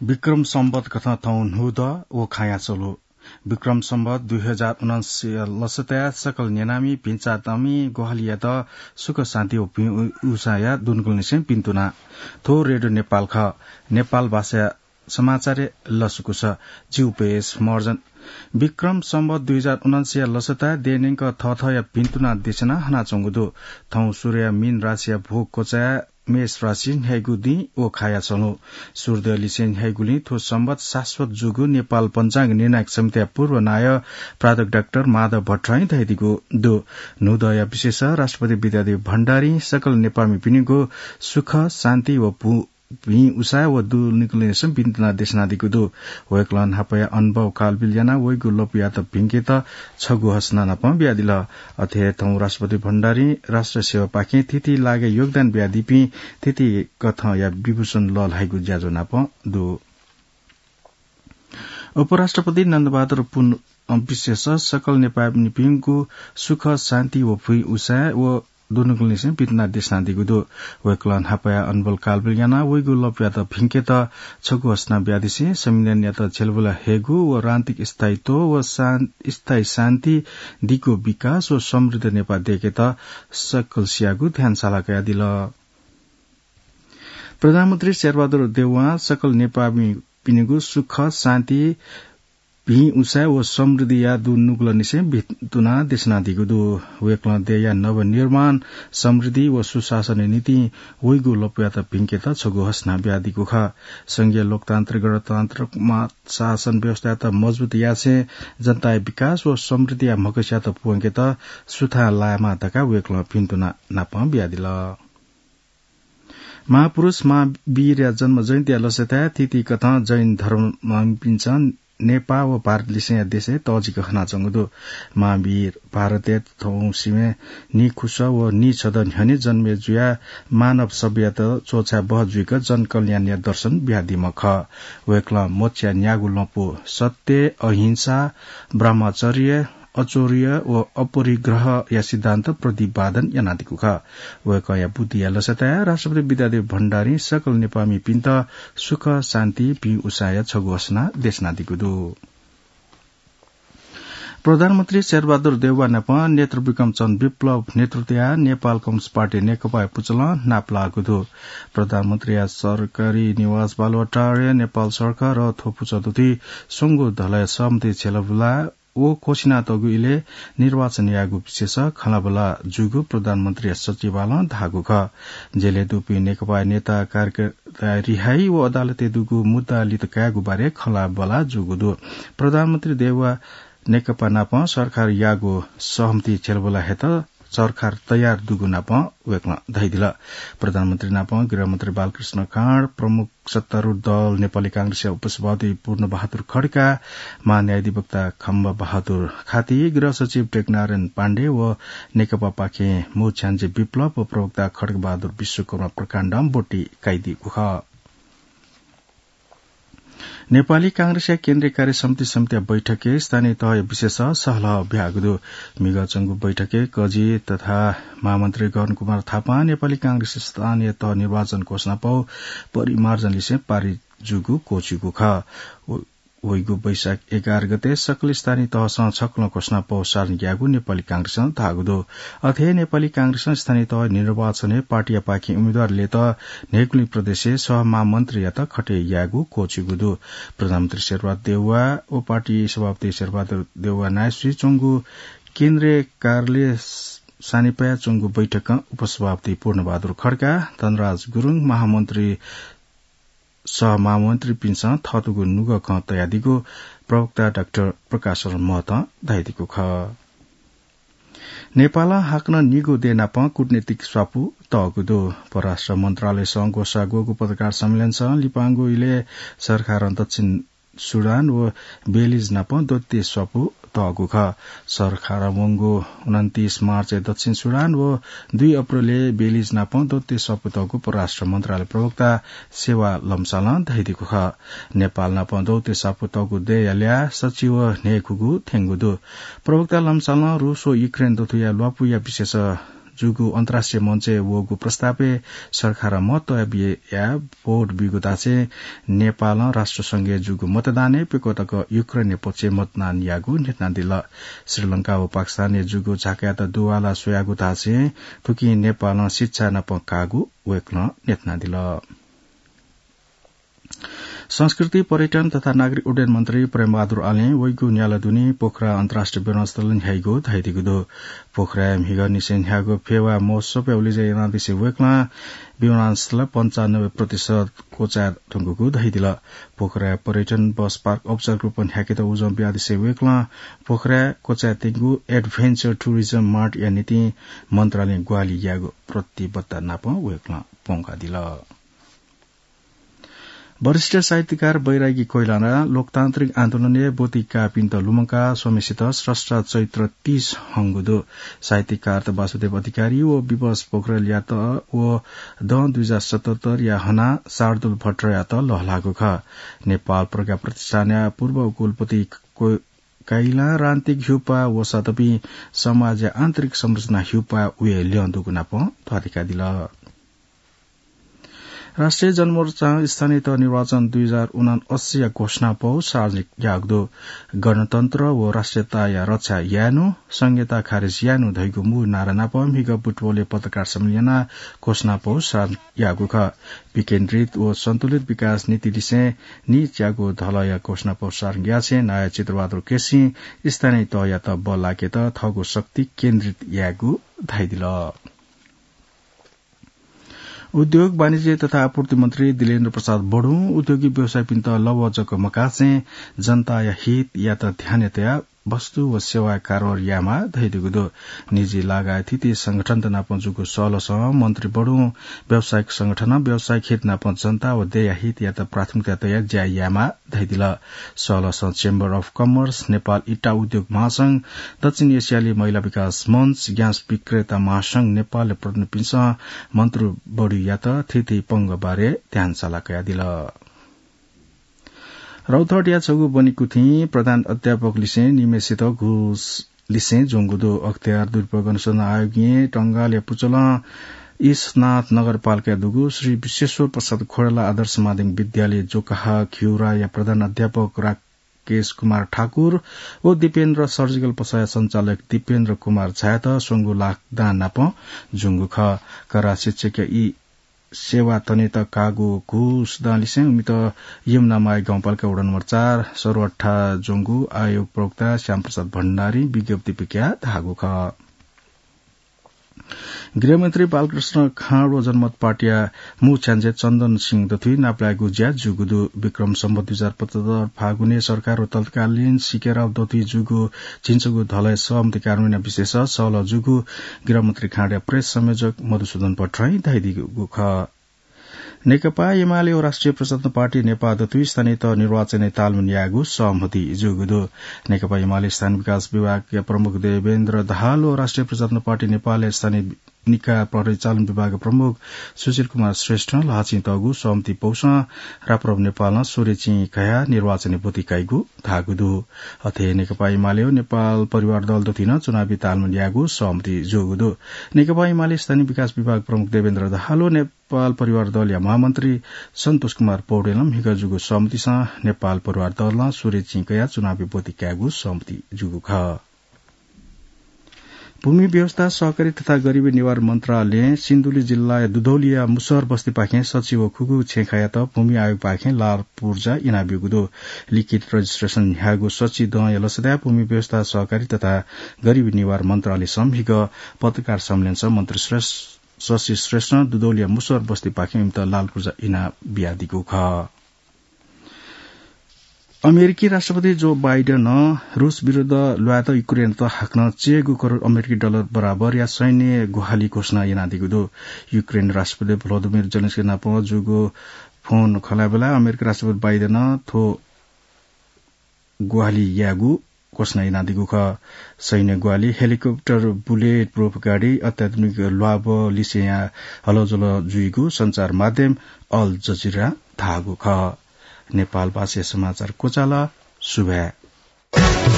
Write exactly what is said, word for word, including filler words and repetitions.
विक्रम संवत कथं थौं न्हूदँ व खाँया च्वलु। विक्रम संवत दुई हजार उनन्सय लसताय् सकल न्यनामि भिंचातमि ग्वाहालियात सुख शान्ति व भिं उ-, उसाँया दुनुगलंनिसें भिन्तुना। थ्व रेडियो नेपाल खः। नेपाल भाषा समाचारय् लसकुस। जिउ पेस मर्जन। विक्रम संवत दुई हजार उनन्सय लसताय् देय्‌न्यंक थःथःया भिन्तुना देछाना हनाच्वंगु दु। थौं सूर्य मीन राशिया भोग क्वचाय् मेष राशि न्ह्याइगु दिं व खाँया च्वलु। सूर्यलिसें न्ह्याइगुलिं थ्व संवत शाश्वत जूगु नेपाल पञ्चाङ्ग निर्णायक समितिया पूर्व नायः प्राध्यापक डाक्टर माधव भट्टराईं धयादीगु दु। न्हूदँया विशेष राष्ट्रपति विद्यादेवी भण्डारीं सकल नेपाःमिपिनिगु सुख, शान्ति व भु-, भिं उसाँय् व दुनुगलंनिसें भिन्तुना देछानादीगु दु। वय्‌कलं न्हापाया अनुभव कालबिल यानाः वइगु लँपुयात भिंकेत छगू हसना नापं बियादिल। अथे हे थौं राष्ट्रपति भण्डारीं राष्ट्र सेवापाखें थीथी लागाय् योगदान बियादीपिं थीथी कथंया विभूषण लःल्हाइगु ज्याझ्वः नापं दु। उपराष्ट्रपति नन्दबहादुर पुन, अ, विशेष सकल नेपाःमिपिनिगु सुख, शान्ति व भुइँ उसाँय् व दुनुगलंनिसें भिन्तुना देछानादीगु दु। वय्‌कलं न्हापाया अनबल कालबिल यानाः वइगु लँपुयात भिंकेत छगू हसना बियादिसें संविधानयात झ्यलबुला हयेगु व राजनीतिक स्थायित्व व शान-, स्थायी शान्ति, दिगु विकास व समृद्ध नेपाः दयेकेत सकलसियागु ध्यान साला कयादिल। प्रधानमन्त्री शेरबहादुर देउवां सकल नेपाःमिपिनिगु सुख, शान्ति, भिं उसाँय् व समृद्धिया दुनुगलंनिसें भिन्तुना देछानादीगु दु। वय्‌कलं देय्‌या नवनिर्माण, समृद्धि व सुशासनया निंतिं वइगु लँपुयात भिंकेत छगू हसना बियादीगु खः। संघीय लोकतान्त्रिक गणतान्त्रिक मा-, शासन व्यवस्थायात मजबुत यासें जनताया विकास व समृद्धिया म्हगसयात प्वंकेत सुथां लायेमाः धकाः वय्‌कलं भिन्तुना नापं बियादिल। महापुरुष महावीरया जन्म जयन्तीया लसताय् थीथी कथं जैन धर्मपिन्सं नेपाः व भारतलिसेंया देशय् तःजिक हनाच्वंगु दु। महावीर भारतय् थौंसिबें नीखुस व नीछदँ न्ह्यःने जन्मे जुयाः मानव सभ्यतायात च्वछाये बहः जुइक जनकल्याणया दर्शन बियादीम्ह खः। वय्‌कलं मोक्षया न्यागू लँपु सत्य, अहिंसा, ब्रह्मचर्य, अचौर्य व अपरिग्रहया सिद्धान्त प्रतिपादन यानादीगु खः। वय्‌कःया बुद्धिया लसताय् राष्ट्रपति विद्यादेवी भण्डारीं सकल नेपाःमिपिन्त सुख, शान्ति, भिं उसाँय्‌या छगू हसना देछानादीगु दु। प्रधानमन्त्री शेरबहादुर देउवा नाप नेतृ विक्रम चन्द्र विप्लव नेतृत्वया नेपाल कम्युनिस्ट पार्टी नेकपाया पुचलं नापलाःगु दु। प्रधानमन्त्रीया सरकारी निवास बालुवाटारय् नेपाल सरकार र थ्व पुचः तुति स्वंगू धलय् सहमति झ्यलबुला व घोषणा तःगु इलय् निर्वाचन यायेगु विषयस खँल्हाबल्हा जूगु प्रधानमन्त्रीया सचिवालयं धाःगु खः। जेलय् दुपिं नेकपा नेता कार्यकर्ता रिहाइ व अदालतय् दुगु मुद्दा लित कायेगु बारे खँल्हाबल्हा जूगु दु। प्रधानमन्त्री देउवा नेकपा नाप सरकार याःगु सहमति झ्यलबल्हा हयेत सरकार तयार दुगु नाप वय्‌कलं धयादिल। प्रधानमन्त्री नाप गृहमन्त्री बालकृष्ण खाँड, प्रमुख सत्तारूढ दल नेपाली कांग्रेसया उपसभापति पूर्णबहादुर खड्का, महान्यायाधिवक्ता खम्बबहादुर खाती, गृह सचिव टेकनारायण पाण्डे व नेकपापाखें मू छ्याञ्जे विप्लव व प्रवक्ता खड्गबहादुर विश्वकर्मा प्रकाण्डं ब्वति काइदीगु खः। नेपाली कांग्रेसया केन्द्रीय कार्य समिति समितिया बैठकय् स्थानीय तहया विषयस सहलह बियागु दु। म्हिगः च्वंगु बैठकय् कजि तथा महामन्त्री गगन कुमार थापां नेपाली कांग्रेसया स्थानीय तह निर्वाचन घोषणापौ परिमार्जनलिसें पारित जूगु क्वःछिउगु खः। व-, वइगु वैशाख एघार गते सकल स्थानीय तहसं छकलं घोषणापौ सार्न ग्याःगु नेपाली कांग्रेसं धाःगु दु। अथे हे नेपाली कांग्रेसं स्थानीय तह निर्वाचनय् पार्टीयापाखें उम्मेदवार लय्‌त न्हय्‌गुलिं प्रदेशय् सहमहामन्त्रीयात खटे यायेगु क्वःछिउगु दु। प्रधानमन्त्री शेरबहादुर देउवा व पार्टी सभापति शेरबहादुर देउवा नायःसुइ च्वंगु केन्द्रीय कार्यालय सानिपाय् च्वंगु बैठकं उपसभापति पूर्णबहादुर खड्का, धनराज गुरुङ, महामन्त्री सहमहामन्त्रीपिन्सं थःतुगु नुगः खँ तयादीगु प्रवक्ता डाक्टर प्रकाश शरण महतं धयादीगु खः। नेपालं हाकनं निगू देय् नाप कूटनीतिक स्वापू तःगु दु। परराष्ट्र मन्त्रालयसं ग्वसाः ग्वःगु पत्रकार सम्मेलनसं लिपांगु इलय् सरकारं दक्षिण सुडान व बेलिज नाप द्वैत स्वापू तःगु खः। सरकारं वंगु उनन्तीस मार्चय् दक्षिण सुडान व दुई अप्रेलय् बेलिज नाप द्वैत स्वापू तःगु परराष्ट्र मन्त्रालय प्रवक्ता सेवा लम्सालं धयादीगु खः। नेपाल नाप द्वैत स्वापू तःगु देय्‌या ल्याः सच्छि व न्हय्‌खुगू थ्यंगु दु। प्रवक्ता लम्सालं रूस व युक्रेन दथुया ल्वापुया विषयस जूगु अन्तर्राष्ट्रिय मञ्चय् वःगु प्रस्तावय् सरकारं महत्व बियाः भोट ब्यूगु धासें नेपालं राष्ट्रसंघय् जूगु मतदानय् प्यक्व तक युक्रेनया पक्षय् मतदान याःगु न्ह्यथनादिल। श्रीलंका व पाकिस्तानय् जूगु झाकायात दुवाला स्वयागु धासें थुकिं नेपालं शिक्षा नाप काःगु वय्कलं न्ह्यथनादिल। संस्कृति, पर्यटन तथा नागरिक उड्डयन मन्त्री प्रेमबहादुर आलें वइगु न्याला दुने पोखरा अन्तर्राष्ट्रिय विमानस्थल न्ह्याइगु धयादीगु दु। पोखराय् म्हिगः निसें न्ह्याःगु फेवा महोत्सवय् उलेज्या यानादिसें वय्कलं विमानस्थल पन्चानब्बे प्रतिशत क्वचाये धुंकूगु धयादिल। पोखराय् पर्यटन बस पार्क औपचारिक रूपं न्ह्याकेत उजं बियादिसें वय्कलं पोखराय् क्वचायेत्यंगु Adventure Tourism Mart या निंतिं मन्त्रालयं ग्वाहालि याःगु प्रतिबद्धता नाप वय्कलं प्वंकादिल। वरिष्ठ साहित्यकार बैरागी कोइराला लोकतान्त्रिक आन्दोलनय् ब्वति काःपिन्त लुमंकाः स्वम्हेसित स्रष्टा चैत्र तीस हंगु दु। साहित्यकार वासुदेव अधिकारी व विवश पोखरेलयात व दँ दुई हजार सतहत्तर या हनाः शार्दूल भट्टराईयात लःल्हाःगु खः। नेपाल प्रज्ञा प्रतिष्ठानया पूर्व कुलपति को-, कोइरालां राजनीतिक ह्यूपाः वःसा दपिं समाजया आन्तरिक संरचना ह्यूपाः वये ल्यं दुगु नाप ध्वाथुइकादिल। राष्ट्रिय जनमोर्चां स्थानीय तह निर्वाचन दुई हजार उनान्सयया घोषणापौ सार्वजनिक याःगु दु। गणतन्त्र व राष्ट्रियताया रक्षा यायेनु, संघीयता खारेज यायेनु धइगु मू नारा नाप म्हिगः बुटवलय् पत्रकार सम्मेलन यानाः घोषणापौ सार्वजनिक याःगु खः। विकेन्द्रित व सन्तुलित विकास नीति लिसें नीच्वयागु धलया घोषणापौ सार्वजनिक यासें नायः चित्रबहादुर केसीं स्थानीय तहयात बल लाकेत थःगु शक्ति केन्द्रित यायेगु धयादिल। उद्योग, वाणिज्य तथा आपूर्ति मन्त्री दिलेन्द्र प्रसाद बढुं उद्योगी व्यवसायीपिन्त लवः जक मकासें जनताया हितयात ध्यानय् तयाः वस्तु व सेवाया कारोबार यायेमाः धयादीगु दु। निजी लगायत थीथी संगठनत नाप जूगु सहलसं मन्त्री बढुं व्यावसायिक संगठनं व्यावसायिक हित नाप जनता व देय्‌या हितयात प्राथमिकता तयाः ज्या यायेमाः धयादिल। सहलसं Chamber of Commerce, नेपाल इट्टा उद्योग महासंघ, दक्षिण एसियाली महिला विकास मञ्च, ग्यास विक्रेता महासंघ नेपालया प्रतिनिधिपिन्सं मन्त्री बढुयात थीथी पंगः बारे ध्यान सल्लाह कयादिल। रौतहटया छगू बनिकुथिं प्रधान अध्यापक लिसें निम्हेसित घुस लिसें ज्वंगु दु। अख्तियार दुरुपयोग अनुसन्धान आयोगं टंगालया पुचलं ईशनाथ नगरपालिकाय् दुगु श्री विश्वेश्वर प्रसाद खोडेला आदर्श माध्यमिक विद्यालय जोकाहा घिउराया प्रधान अध्यापक राकेश कुमार ठाकुर व दीपेन्द्र सर्जिकल पसलया सञ्चालक दीपेन्द्र कुमार झायात स्वंगू लाख दां नाप ज्वंगु खः। करा शिक्षकया ई सेवा तनेत काःगु घुस दां लिसें इमित यमुनामाया गाउँपालिका वडा नम्बर चार सरुवाठा ज्वंगु आयोग प्रवक्ता श्यामप्रसाद भण्डारीं विज्ञप्ति पिकयाः धाःगु खः। गृहमन्त्री बालकृष्ण खाँड व जनमत पार्टीया मू छ्याञ्जे चन्दन सिंह दथुइ नापलायेगु ज्या जूगु दु। विक्रम सम्वत दुई हजार पचहत्तर फागुनय् सरकार व तत्कालीन सीके राव दथुइ जूगु झिंछगू धलय् सहमति कार्यान्वयन विषयस सहलह जूगु गृहमन्त्री खाँडया प्रेस संयोजक मधुसूदन भट्टराईं धयादीगु खः। नेकपा एमाले व राष्ट्रिय प्रजातन्त्र पार्टी नेपाः दथुइ स्थानीय तह निर्वाचनय् तालमेल यायेगु सहमति जूगु दु। नेकपा एमाले स्थानीय विकास विभागया प्रमुख देवेन्द्र दाहाल व राष्ट्रिय प्रजातन्त्र पार्टी नेपालया स्थानीय निकाय परिचालन विभागया प्रमुख सुशील कुमार श्रेष्ठं ल्हाःचिं तःगु सहमति पौसं राप्रप नेपालं स्वरेचिं कयाः निर्वाचनय् ब्वति काइगु धाःगु दु। अथे नेकपा एमाले व नेपाल परिवार दल दथुइ नं चुनावी तालमेल यायेगु सहमति जूगु दु। नेकपा एमाले स्थानीय विकास विभाग प्रमुख देवेन्द्र दाहाल व नेपाल परिवार दलया महामन्त्री सन्तोष कुमार पौडेलं म्हिगः जूगु सहमतिसं नेपाल परिवार दलं स्वरेचिं कयाः चुनावी ब्वति कायेगु सहमति जूगु खः। भूमि व्यवस्था, सहकारी तथा गरिबी निवारण मन्त्रालयं सिन्धुली जिल्लाया दुधौलिया मुसहर बस्तीपाखें सच्छि व खुगू छेँखायात भूमि आयोगपाखें लाल पुर्जा इनाब्यूगु दु। लिखित registration न्ह्याःगु सच्छि दँया लसताय् भूमि व्यवस्था, सहकारी तथा गरिबी निवारण मन्त्रालयसं म्हिगः पत्रकार सम्मेलनसं मन्त्री श्रेष्ठ, शशि श्रेष्ठं दुधौलिया मुसहर बस्तीपाखें इमित लाल पुर्जा इनाबियादीगु खः। अमेरिकी राष्ट्रपति जो बाइडेनं रूस विरुद्ध ल्वायेत युक्रेनयात हाकनं चय्‌गू करोड अमेरिकी डलर बराबरया सैन्य ग्वाहालि घोषणा यानादीगु दु। युक्रेन राष्ट्रपति भ्लोदिमिर जेलेन्स्की नाप जूगु फोन खँल्हाबेलाय् अमेरिकी राष्ट्रपति बाइडेनं थ्व ग्वाहालि यायेगु घोषणा यानादीगु खः। सैन्य ग्वाहालि, हेलिकप्टर, bullet proof गाडी, अत्याधुनिक ल्वाभः लिसेंया हलजल जुइगु सञ्चार माध्यम अल जजिरां धाःगु खः। नेपाल भाषाया समाचार क्वचाल। सुभाय्।